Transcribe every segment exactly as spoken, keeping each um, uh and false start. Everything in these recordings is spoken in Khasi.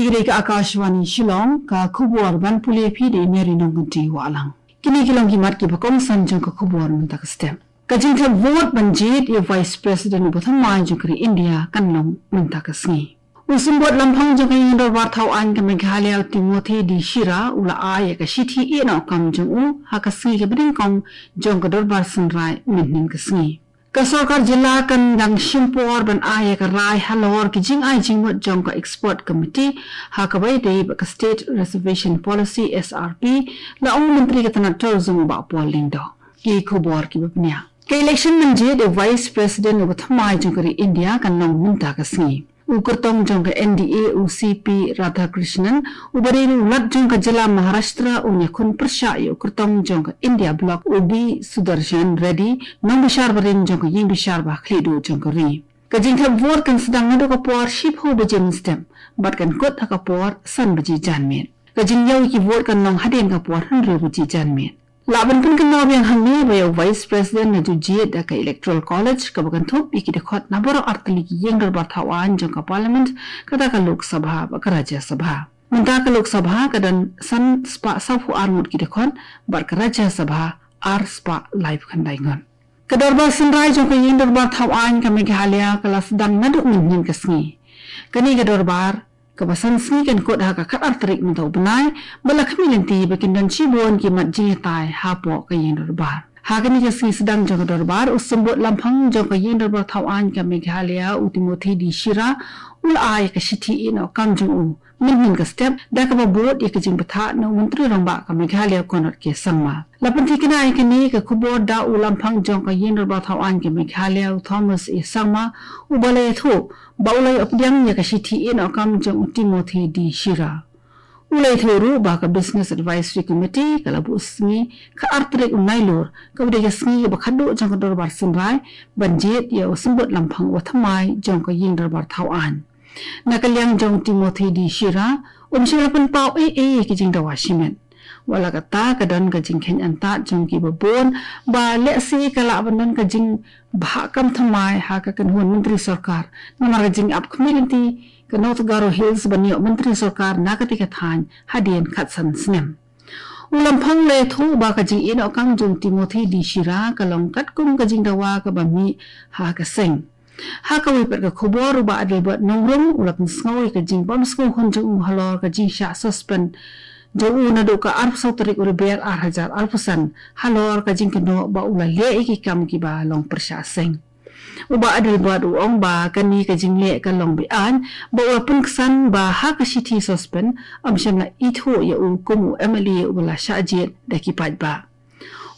Ki dei ka Akashvani Shillong, ka khubor ban pule phi da i Mary Nongkanti Wahlang. Kine ki long ki mat kiba kongsan jong ka khubor mynta ka step. Ka jingthep vote ban jied ïa u Vice President uba thymmai jong ka ri India kan long mynta ka sngi. U Symbud Lamphang jong ka Ïing Dorbar Thaw Aiñ ka Meghalaya, u Timothy D Shira, u la ai ïa ka shithi ïehnoh kam jong u ha ka sngi kaba nyngkong jong ka Dorbar Synrai mynhynnin ka sngi. Ka Sorkar Jylla kan dang shim por ban ai ïa ka rai halor ki jingai jingmut jong ka Expert Committee ha kaba ïadei bad ka State Reservation Policy, S R P, la ong u Myntri ka tnad Tourism, u Bah Paul Lyngdoh. Ki khubor kiba bniah. Ka election ban jied ïa u Vice President uba thymmai jong ka ri India kan long mynta ka sngi. U kyrtong jong ka N D A, u C P Radhakrishnan, uba dei ruh u Lat jong ka Jylla Maharashtra, un ïakhun pyrshah ïa u kyrtong jong ka India Bloc, u B Sudarshan Reddy, nongbishar barim jong ka Ïingbishar ba ha khlieh duh jong ka ri. Ka jingthep vote kan sdang naduh ka por shiphew baje mynstep bad kan kut ha ka por san baje janmiet. Ka jingïaw ïa ki vote kan long hadien ka por hynriew baje janmiet. Lah ban pynkynmaw biang hangne ba ïa u Vice President la ju jied da ka Electoral College, kaba kynthup ïa ki dkhot na baroh artylli ki Ïing Dorbar Thaw Aiñ jong ka Parliament, kata ka Lok Sabha bad ka Rajya Sabha. Mynta ka Lok Sabha ka don san spah sawphew ar ngut ki dkhot bad ka Rajya Sabha ar spah laiphew khyndai ngut. Ka Dorbar Synrai jong ka Ïing Dorbar Thaw Aiñ ka Meghalaya ka la sdang naduh mynhynnin ka sngi. Kane ka dorbar kaba san sngi kan kut ha ka khatar tarik mynta u bnai, ba la khmih lynti ba kin don shibun ki mat jingïatai hapoh ka Ïing Dorbar. Ha kane ka sngi sdang jong ka dorbar, u Symbud Lamphang jong ka Ïing Dorbar Thaw Aiñ ka Meghalaya, u Timothy D Shira, u la ai ka shithi ïehnoh kam jong u mynhynnin ka step, da kaba bud ïa ka jingbthah na u Myntri Rangbah ka Meghalaya, Conrad K Sangma. La pynthikna ïa kane ka khubor da u Lamphang jong ka Ïing Dorbar Thaw Aiñ ka Meghalaya, u Thomas A Sangma, uba la ïathuh ba u la ïoh pdiang ïa ka shithi ïehnoh kam jong u Timothy D Shira. U la ïathuh ruh ba ka Business Advisory Committee ka la buh sngi khatar tarik u Nailur, kaba dei ka sngi kaba khadduh jong ka Dorbar Synrai, ban jied ïa u Symbud Lamphang uba thymmai jong ka Ïing Dorbar Thaw Aiñ. Na ka liang jong u Timothy D Shira, um shym la pynpaw ei ei ïa ki jingdawa shimet. Wat la katta, ka don ka jingkheiñ antad jong kiba bun ba lehse ka lah ban don ka jingbhah kam thymmai ha ka kynhun Myntri Sorkar namar ka jingap khmih lynti ka North Garo Hills ban ïoh Myntri Sorkar na katei ka thaiñ hadien khatsan snem. U Lamphang u la ïathuh ba ka jingïehnoh kam jong u Timothy D Shira ka long katkum ka jingdawa kaba mih ha ka seng. Ha kawei pat ka khubor, u Bah Adelbert Nongrum u la pynsngew ïa ka jingbym sngewhun jong u halor ka jingshah suspend jong u naduh ka arphew saw tarik u Rymphang ar hajar arphew san halor ka jingkynnoh ba u la leh ïa ki kam kiba long pyrshah seng. U Bah Adelbert u ong ba kane ka jingleh ka long be-aiñ, ba u la pynksan ba ha ka shithi suspend ym shym la ithuh ïa u kum u M L A uba la shah jied da ki paidbah.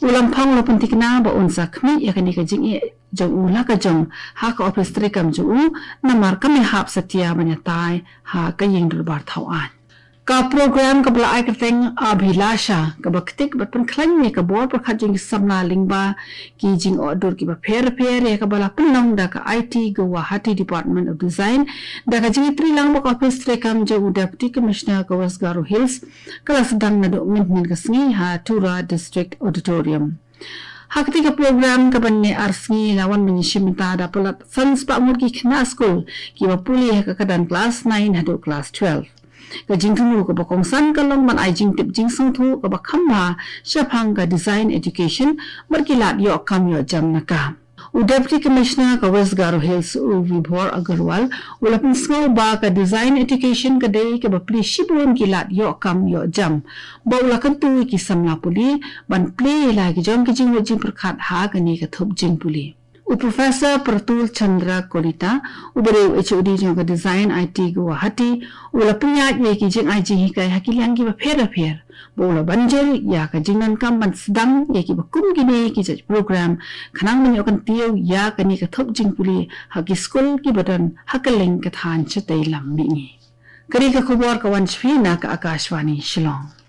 U Lamphang u la pynthikna ba un sa khmih ïa kane ka jingeh jong u la ka jong ha ka ophis treikam jong u, namar kam ïahap satia ban ïatai ha ka Ïing Dorbar Thaw Aiñ. Ka program kaba la ai kyrteng Abhilasha, kaba ktik bad pynkhlaiñ ïa ka bor pyrkhat jong ki samla lyngba ki jingohdur kiba pher pher, ïa kaba la pynlong da ka I T Guwahati Department of Design, da ka jingïatreilang bad ka ophis treikam jong u Deputy Commissioner ka West Garo Hills, ka la sdang naduh mynhynnin ka sngi ha Tura District Auditorium. Ha katei ka program kaba neh ar sngi la wan ban ïashim bynta da palat san spah ngut ki khynnah skul kiba pule ha ka kyrdan klas nine haduh klas twelve. Ka jingthmu kaba kongsan ka long ban ai jingtip jingsngewthuh kaba kham bha shaphang ka design education bad ki lad ïoh kam ïoh jam na ka. U Deputy Commissioner ka West Garo Hills, u Vibhor Agarwal, u la pynsngew ba ka design education ka dei kaba plie shibun ki lad ïoh kam ïoh jam, ba u la kyntu ïa ki samla pule ban plie ïa la ki jong ki jingmut jingpyrkhat ha kane ka thup jingpule. U Professor Pratul Chandra Kalita, uba dei u H O D jong ka Design I T Guwahati, u la pynïaid ïa ki jingai jinghikai ha ki liang kiba pher bapher, ba u la ban jur ïa ka jingdonkam ban sdang ïa kiba kum kine ki jait program, khnang ban ïoh kyntiew ïa kane ka thup jingpule ha ki skul kiba don ha kylleng ka thaiñ shatei lam mihngi. Kane ka khubor ka wan sha phi na ka Akashvani Shillong.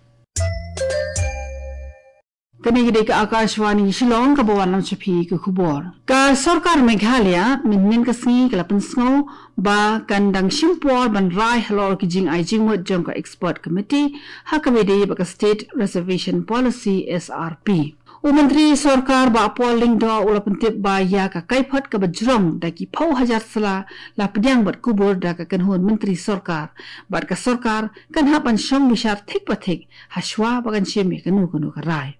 Kane ka dei ka Akashvani Shillong kaba wanlam sha phi ka khubor. Ka Sorkar Meghalaya mynhynnin ka sngi ka la pynsngew ba kan dang shim por ban rai halor ki jingai jingmut jong ka Expert Committee ha kaba ïadei bad ka State Reservation Policy, S R P. U Myntri Sorkar Bah Paul Lyngdoh u la pyntip ba ïa ka kaiphod kaba jrong da ki phew hajar sla la pdiang bad kubur da ka kynhun Myntri Sorkar, bad ka sorkar kan hap ban shong bishar thik pa thik ha shwa ba kan shim ïa kano kano ka rai.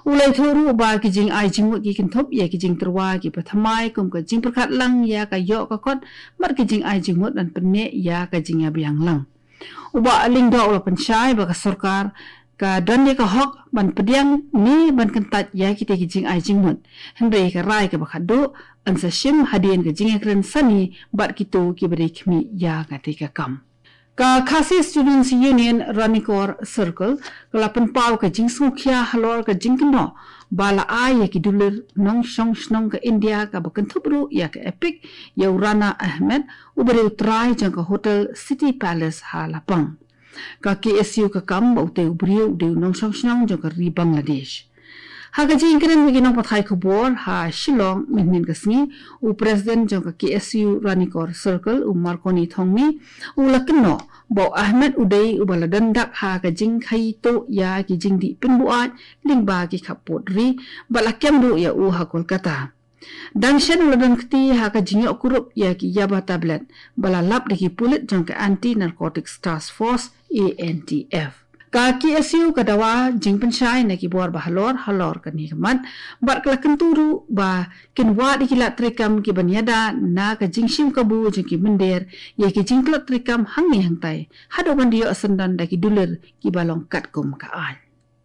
U la ïathuh ruh ba ki jingai jingmut ki kynthup ïa ki jingtyrwa kiba thymmai kum ka jingpyrkhat lang ïa ka ïoh ka kot bad ki jingai jingmut ban pynneh ïa ka jingïabiang lang. U Bah Lyngdoh u la pynshai ba ka sorkar ka don ïa ka hok ban pdiang ne ban kyntait ïa kita ki jingai jingmut. Hynrei ka rai kaba khatduh yn sa shim hadien ka jingïakren sani bad kito kiba dei khmih ïa kata ka kam. Ka Khasi Students Union Ranikor Circle ka la pynpaw ka jingsngewkhia halor ka jingkynnoh ba la ai ïa ki dulir nongshong shnong ka India kaba kynthup ruh ïa ka EPIC ïa u Rana Ahmed, uba dei u trai jong ka Hotel City Palace ha Lapang. Ka K S U ka kam ba utei u briew u dei u nongshong shnong jong ka ri Bangladesh. Ha ka jingïakren bad ki nongpathai khubor ha Shillong mynhynnin ka sngi, u President jong ka K S U Ranikor Circle, u Marconi Thongni, u la kynnoh ba u Ahmed u dei uba la don dak ha ka jingkhaii tuh ïa ki jingdih pynbuaid lyngba ki khappud ri, bad la kem ruh ïa u ha Kolkata. Dang shen u la don kti ha ka jingïoh kurup ïa ki yaba tablet ba la lap da ki pulit jong ka Anti Narcotics Task Force, A N T F. Ka K S U ka dawa jingpynshai na ki bor ba halor halor kane ka mat, bad ka la kyntu ruh ba kin wad ïa ki lad treikam kiban ïada na ka jingshim kabu jong ki mynder ïa ki jingtlot treikam hangne hangtai, haduh ban da ïoh syndon da ki dulir kiba long katkum ka aiñ.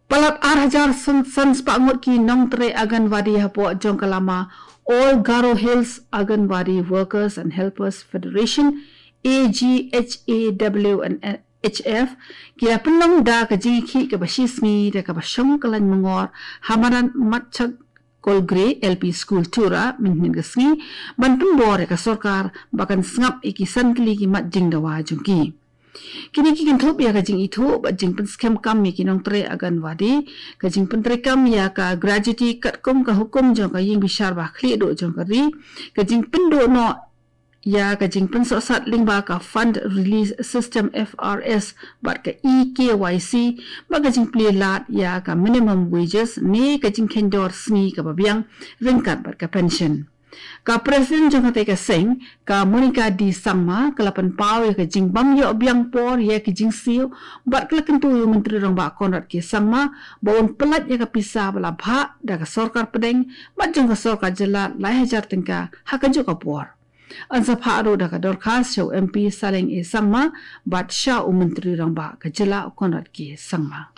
Palat ar hajar san, san spah ngut ki nongtrei Anganwadi hapoh jong ka lama All Garo Hills Anganwadi Workers and Helpers Federation, A G H A W and H F, ki la pynlong da ka jingïakhih kaba shi sngi da kaba shong ka lain myngor ha madan Matchak Kolgre L P School Tura mynhynnin ka sngi, ban pynbor ïa ka sorkar ba kan sngap ïa ki san tylli ki mat jingdawa jong ki. Kine ki kynthup ïa ka jingithuh bad jingpynskhem kam ïa ki nongtrei Anganwadi, ka jingpyntreikam ïa ka gratuity katkum ka hukum jong ka ïing bishar ba khlieh duh jong ka ri, ka jingpynduh noh ïa ka jingpynsohsat lyngba ka Fund Release System, F R S, bad ka e-K Y C, bad ka jingplie lad ïa ka minimum wages ne ka jingkheiñ dor sngi kaba biang ryngkat bad ka pension. Ka President jong katei ka seng, ka Monica D Sangma, ka la pynpaw ïa ka jingbym ïoh biang por ïa ki jingsiew, bad ka la kyntu ïa u Myntri Rangbah Conrad K Sangma ba un pyllait ïa ka pisa ba la bhah da ka sorkar pdeng bad jong ka sorkar jylla lai hajar tyngka ha kajuh ka por. Yn sa phah ruh da ka dorkhas sha u M P Saleng A Sangma bad sha u Myntri Rangbah ka jylla u Conrad K Sangma.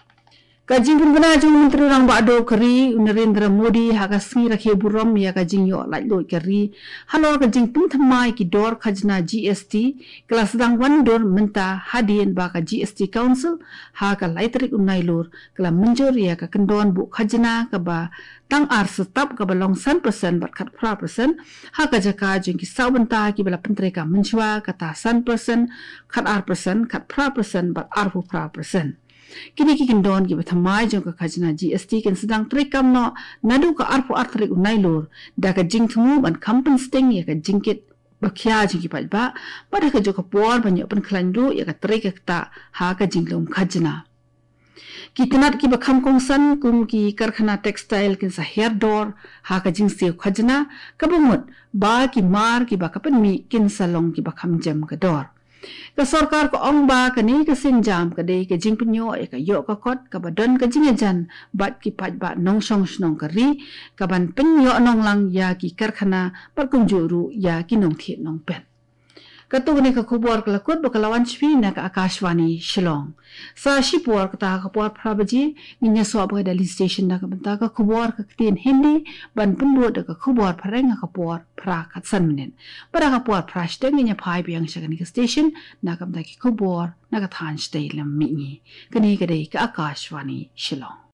Ka jingpynbna jong u Myntri Rangbah duh ka ri u Narendra Modi ha ka sngi rakhe burom ïa ka jingïoh laitluid ka ri halor ka jingpynthymmai ki dor khajna G S T, ka la sdang wandur mynta hadien ba ka G S T Council ha ka lai tarik u Nailur ka la mynjur ïa ka kyndon buh khajna kaba tang ar step, kaba long san percent bad khatphra percent, ha ka jaka jong ki saw bynta kiba la pyntreikam mynshuwa, kata san percent, khatar percent, khatphra percent bad arphew phra percent. Kine ki kyndon kiba thymmai jong ka khajna G S T kin sdang treikam noh naduh ka arphew ar tarik u Nailur, da ka jingthmu ban kham pynsting ïa ka jingkit ba khia jong ki paidbah, bad ha kajuh ka por ban ïoh pynkhlaiñ ruh ïa ka trei ka ktah ha ka jinglum khajna. Ki tnat kiba kham kongsan kum ki karkhana textile kin sa hiar dor ha ka jingsiew khajna, kaba mut ba ki mar kiba ka pynmih kin sa long kiba kham jem ka dor. Ka sorkar ka ong ba kane ka sienjam ka dei ka jingpynïoh ïa ka ïoh ka kot kaba don ka jingïajan bad ki paidbah nongshong shnong ka ri, kaban pynïoh nonglang ïa ki karkhana bad kumjuh ruh ïa ki nongthied nongpet. Katto katne ka khubor ka la kut bad ka la wan sha phi na ka Akashvani Shillong. Sa shipor kata ha ka por phra baje ngin ïasoh bad ka Delhi Station na ka bynta ka khubor ka ktien Hindi, ban pynbud da ka khubor phareng ha ka por phra khatsan minit. Bad ha ka por phra shiteng ngin ïa phai biang sha kane ka station na ka bynta ki khubor na ka thaiñ shatei lam mihngi. Kane ka dei ka Akashvani Shillong.